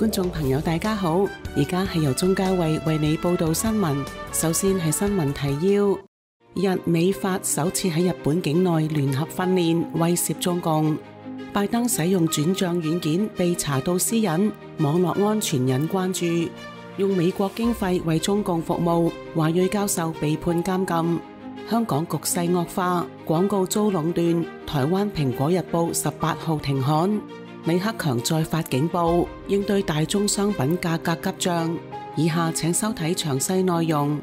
觀眾朋友大家好，而家係由鍾嘉慧為你報道新聞。首先係新聞提要：日美法首次喺日本境內聯合訓練，威懾中共。拜登使用轉賬軟件被查到私隱，網絡安全引關注。用美國經費為中共服務，華裔教授被判監禁。香港局勢惡化，廣告遭壟斷。台灣蘋果日報18號停刊。李克強再發警報，應對大宗商品價格急漲。以下請收睇詳細內容。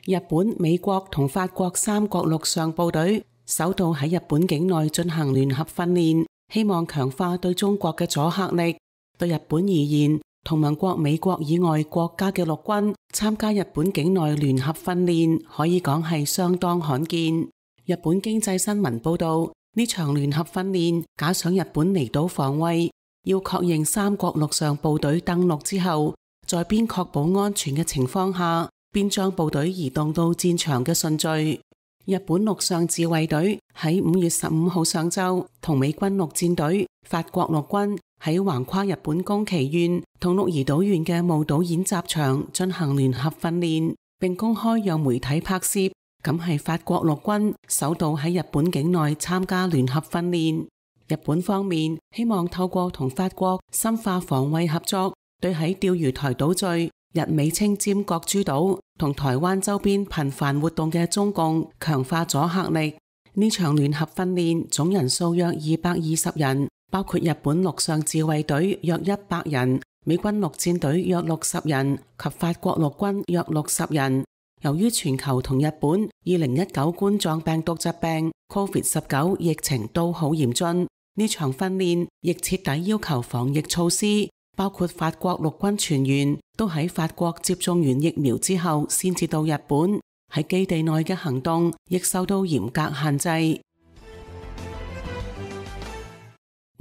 日本、美國同法國三國陸上部隊首度喺日本境內進行聯合訓練，希望強化對中國嘅阻嚇力。對日本而言，同盟國美國以外國家嘅陸軍參加日本境內聯合訓練，可以講係相當罕見。日本經濟新聞報道，呢場聯合訓練加上日本離島防衛，要確認三國陸上部隊登陸之後，在邊確保安全嘅情況下，邊將部隊移動到戰場嘅順序。日本陸上自衛隊喺5月15號上晝同美軍陸戰隊、法國陸軍喺橫跨日本宮崎縣同鹿兒島縣嘅霧島演習場進行聯合訓練，並公開讓媒體拍攝。咁係法國陸軍首度喺日本境內參加聯合訓練。日本方面希望透過同法國深化防衛合作，對喺釣魚台島嶼、日美稱尖閣諸島同台灣周邊頻繁活動嘅中共強化阻嚇力。呢場聯合訓練總人數約220人，包括日本陸上自衛隊約100人、美軍陸戰隊約60人及法國陸軍約60人。由於全球同日本2019冠狀病毒疾病 COVID-19 疫情都好嚴峻，呢場訓練亦徹底要求防疫措施，包括法國陸軍全員都喺法國接種完疫苗之後先至到日本，喺基地內嘅行動亦受到嚴格限制。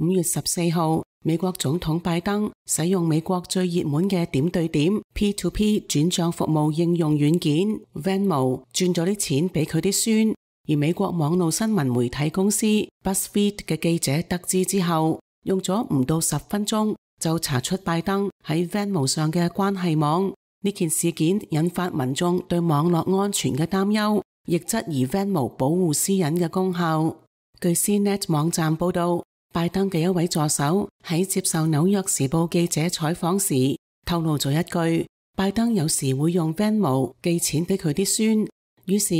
5月14號，美國總統拜登使用美國最熱門嘅點對點 P2P 轉賬服務應用軟件 Venmo 轉咗啲錢俾佢啲孫，而美國網絡新聞媒體公司 BuzzFeed 嘅記者得知之後，用咗唔到10分鐘就查出拜登喺 Venmo 上嘅關係網。呢件事件引發民眾對網絡安全嘅擔憂，亦質疑 Venmo 保護私隱嘅功效。據 CNET 網站報道，拜登嘅一位助手喺接受紐約時報記者採訪時透露咗一句，拜登有時會用 Venmo 寄錢俾佢啲孫。於是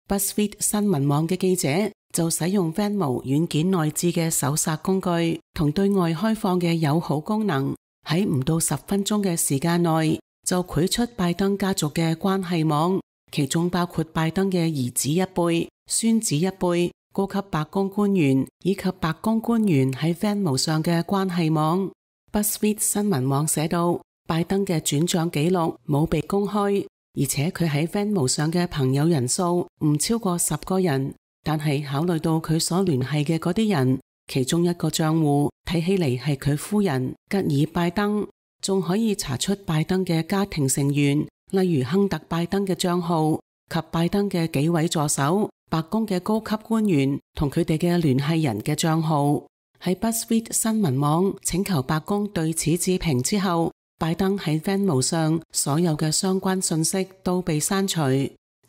BuzzFeed 新聞網嘅記者就使用 Venmo 軟件內置嘅搜索工具同對外開放嘅友好功能，喺唔到10分鐘嘅時間內就繪出拜登家族嘅關係網，其中包括拜登嘅兒子一輩、孫子一輩、高級白宮官員以及白宮官員喺 Venmo 上嘅關係網。BuzzFeed 新聞網寫道，拜登嘅轉賬記錄冇被公開，而且佢喺 Venmo 上嘅朋友人數唔超過10個人，但係考慮到佢所聯繫嘅嗰啲人，其中一個賬戶睇起嚟係佢夫人吉爾拜登，仲可以查出拜登嘅家庭成員，例如亨特拜登嘅賬號及拜登嘅幾位助手、白宮嘅高級官員同佢哋嘅聯繫人嘅賬號。喺 BuzzFeed 新聞網請求白宮對此置評之後，拜登喺 Venmo 上所有嘅相關信息都被刪除。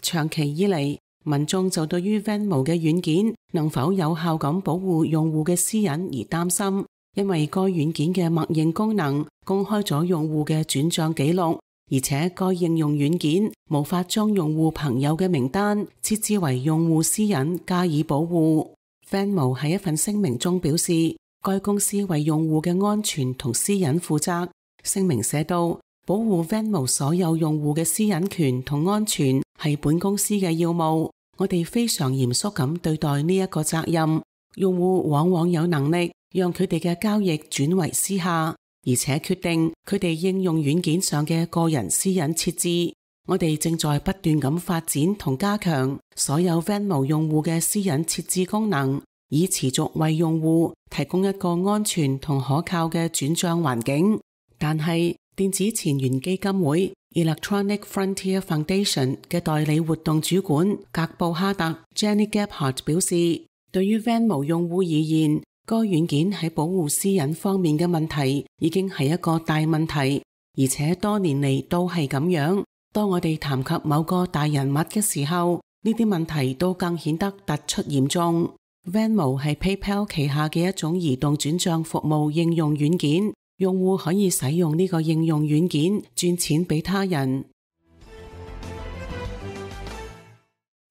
長期以嚟，民眾就對於 Venmo 嘅軟件能否有效咁保護用戶嘅私隱而擔心，因為該軟件嘅默認功能公開咗用戶嘅轉賬記錄，而且該應用軟件無法將用戶朋友嘅名單設置為用戶私隱加以保護。Venmo 喺一份聲明中表示，該公司為用戶嘅安全同私隱負責。聲明寫道，保護 Venmo 所有用戶嘅私隱權同安全係本公司嘅要務，我哋非常嚴肅咁對待呢一個責任。用戶往往有能力讓佢哋嘅交易轉為私下，而且決定佢哋應用軟件上嘅個人私隱設置。我哋正在不斷咁發展同加強所有 Venmo 用戶嘅私隱設置功能，以持續為用戶提供一個安全同可靠嘅轉賬環境。但係電子錢元基金會 Electronic Frontier Foundation 嘅代理活動主管格布哈特 Jenny Gebhardt 表示，對於 Venmo 用戶而言，該軟件喺保護私隱方面嘅問題已經係一個大問題，而且多年嚟都係咁樣。當我哋談及某個大人物嘅時候，呢啲問題都更顯得突出嚴重。Venmo 係 PayPal 旗下嘅一種移動轉賬服務應用軟件，用戶可以使用呢個應用軟件轉錢俾他人。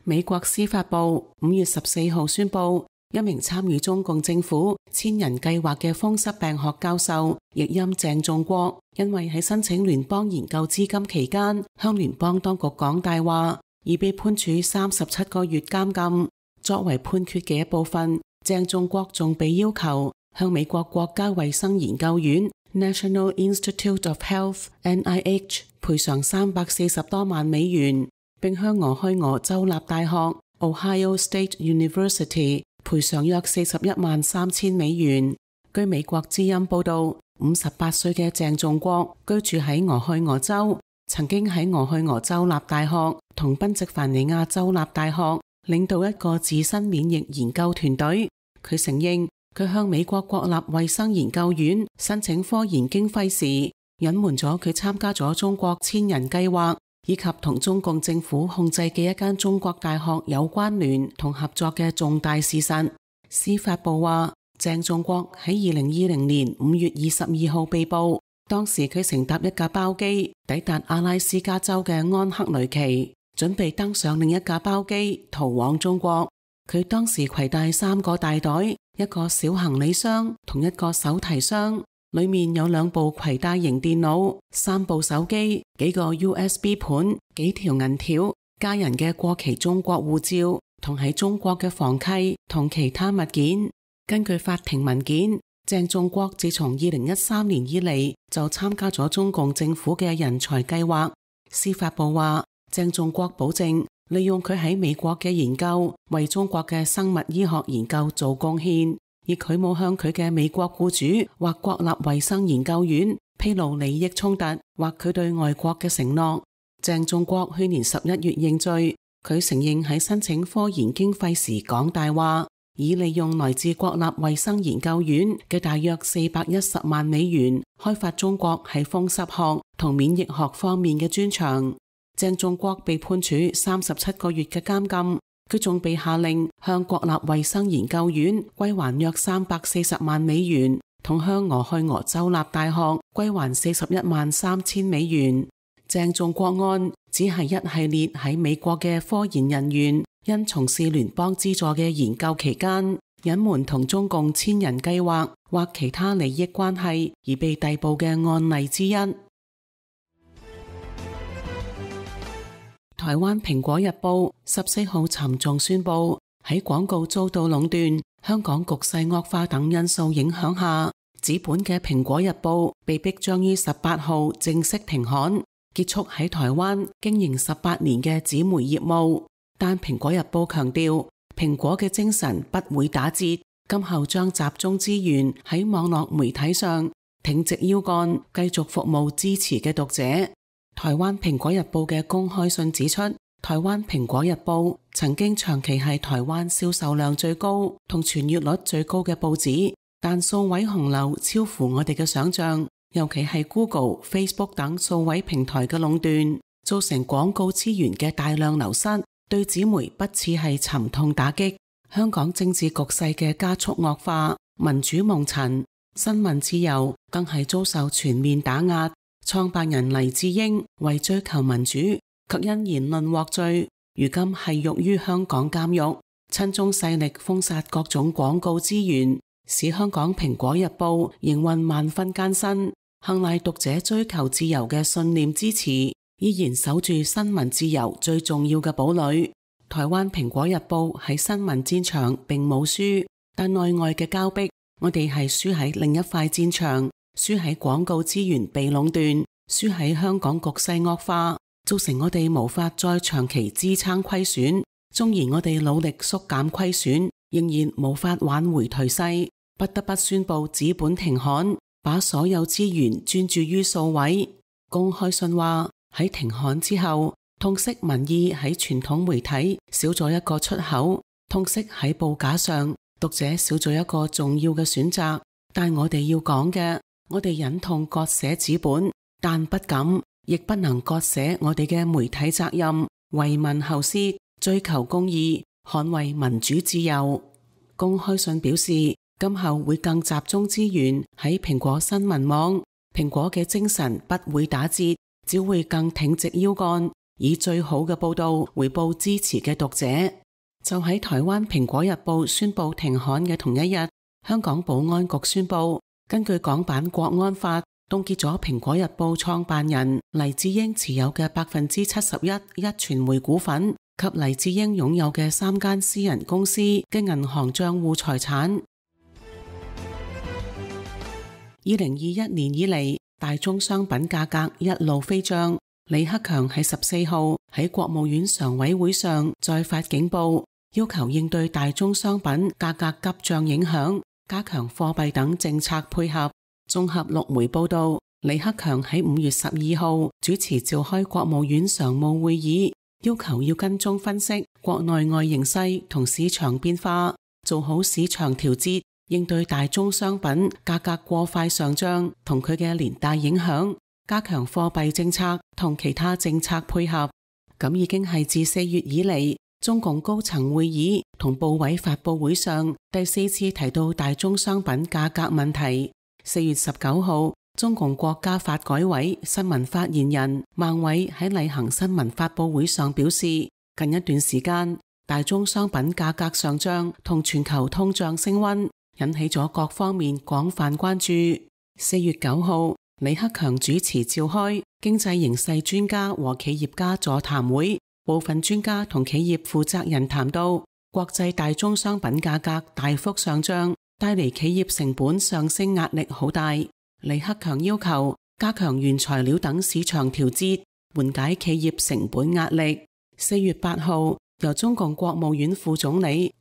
美國司法部5月14號宣布，一名參與中共政府千人計劃嘅風濕病學教授，譯音鄭仲國，因為喺申請聯邦研究資金期間向聯邦當局講大話，而被判處37個月監禁。作為判決嘅一部分，鄭仲國仲被要求向美國國家衛生研究院 National Institute of Health NIH 賠償340多萬美元，並向俄亥俄州立大學 Ohio State University 賠償約41萬3千美元。據美國之音報道，58歲嘅鄭仲國居住喺俄亥俄州，曾經喺俄亥俄州立大學同賓夕凡尼亞州立大學領導一個自身免疫研究團隊。佢承認佢向美國國立衛生研究院申請科研經費時，隱瞞咗佢參加咗中國千人計劃，以及同中共政府控制嘅一間中國大學有關聯同合作嘅重大事實。司法部話，鄭仲國喺2020年5月22號被捕，當時佢乘搭一架包機抵達阿拉斯加州嘅安克雷奇，準備登上另一架包機逃往中國。佢當時攜帶3個大袋，一個小行李箱同一個手提箱，裏面有2部攜帶型電腦、3部手機、幾個 USB 盤、幾條銀條、家人嘅過期中國護照同喺中國嘅房契同其他物件。根據法庭文件，鄭仲國自從2013年以嚟就參加咗中共政府嘅人才計劃。司法部話，鄭仲國保證利用佢喺美國嘅研究為中國嘅生物醫學研究做貢獻，而佢冇向佢嘅美國僱主或國立衛生研究院披露利益衝突或佢對外國嘅承諾。鄭仲國去年11月認罪，佢承認喺申請科研經費時講大話，以利用來自國立衛生研究院嘅大約410萬美元開發中國喺風濕學同免疫學方面嘅專長。鄭仲國被判處37個月嘅監禁，佢仲被下令向國立衛生研究院歸還約340萬美元，同向俄亥俄州立大學歸還41萬3千美元。鄭仲國案只係一系列喺美國嘅科研人員因從事聯邦資助嘅研究期間隱瞞同中共千人計劃或其他利益關係而被逮捕嘅案例之一。台灣蘋果日報14號沉重宣布，喺廣告遭到壟斷、香港局勢惡化等因素影響下，紙本嘅蘋果日報被迫將於18號正式停刊，結束喺台灣經營18年嘅紙媒業務。但蘋果日報強調，蘋果嘅精神不會打折，今後將集中資源喺網絡媒體上，挺直腰桿，繼續服務支持嘅讀者。台灣蘋果日報嘅公開信指出，台灣蘋果日報曾經長期係台灣銷售量最高同傳閱率最高嘅報紙，但數位洪流超乎我哋嘅想象，尤其係 Google、Facebook 等數位平台嘅壟斷，造成廣告資源嘅大量流失，對紙媒不似係沉痛打擊。香港政治局勢嘅加速惡化，民主蒙塵，新聞自由更係遭受全面打壓。創辦人黎智英為追求民主，卻因言論獲罪，如今係獄於香港監獄。親中勢力封殺各種廣告資源，使香港蘋果日報營運萬分艱辛。幸賴讀者追求自由嘅信念支持，依然守住新聞自由最重要嘅堡壘。台灣蘋果日報喺新聞戰場並冇輸，但內外嘅交逼，我哋係輸喺另一塊戰場。輸喺廣告資源被壟斷，輸喺香港局勢惡化，造成我哋無法再長期支撐虧損。縱然我哋努力縮減虧損，仍然無法挽回頹勢，不得不宣布紙本停刊，把所有資源專注於數位。公開信話，喺停刊之後，痛惜民意喺傳統媒體少咗一個出口，痛惜喺報價上讀者少咗一個重要嘅選擇。但我哋要講嘅，我哋忍痛割捨紙本，但不敢，亦不能割捨我哋嘅媒體責任，為民後事，追求公義，捍衛民主自由。公開信表示，今後會更集中資源喺蘋果新聞網。蘋果嘅精神不會打折，只會更挺直腰桿，以最好嘅報道回報支持嘅讀者。就喺台灣蘋果日報宣布停刊嘅同一日，香港保安局宣布，根據港版國安法，凍結咗蘋果日報創辦人黎智英持有嘅71%壹傳媒股份及黎智英擁有嘅3間私人公司嘅銀行賬戶財產。2021年以嚟，大宗商品價格一路飛漲。李克強喺14號喺國務院常委會上再發警報，要求應對大宗商品價格急漲影響，加強貨幣等政策配合。綜合陸媒報道，李克強喺5月12號主持召開國務院常務會議，要求要跟蹤分析國內外形勢同市場變化，做好市場調節，應對大宗商品價格過快上漲同佢嘅連帶影響，加強貨幣政策同其他政策配合。咁已經係自4月以嚟，中共高層會議同部委發佈會上第4次提到大宗商品價格問題。4月19號，中共國家發改委新聞發言人孟偉喺例行新聞發佈會上表示，近一段時間大宗商品價格上漲同全球通脹升溫，引起咗各方面廣泛關注。4月9號，李克強主持召開經濟形勢專家和企業家座談會，部分專家同企業負責人談到，國際大宗商品價格大幅上漲，帶嚟企業成本上升壓力好大。李克強要求加強原材料等市場調節，緩解企業成本壓力。4月8號，由中共國務院副總理、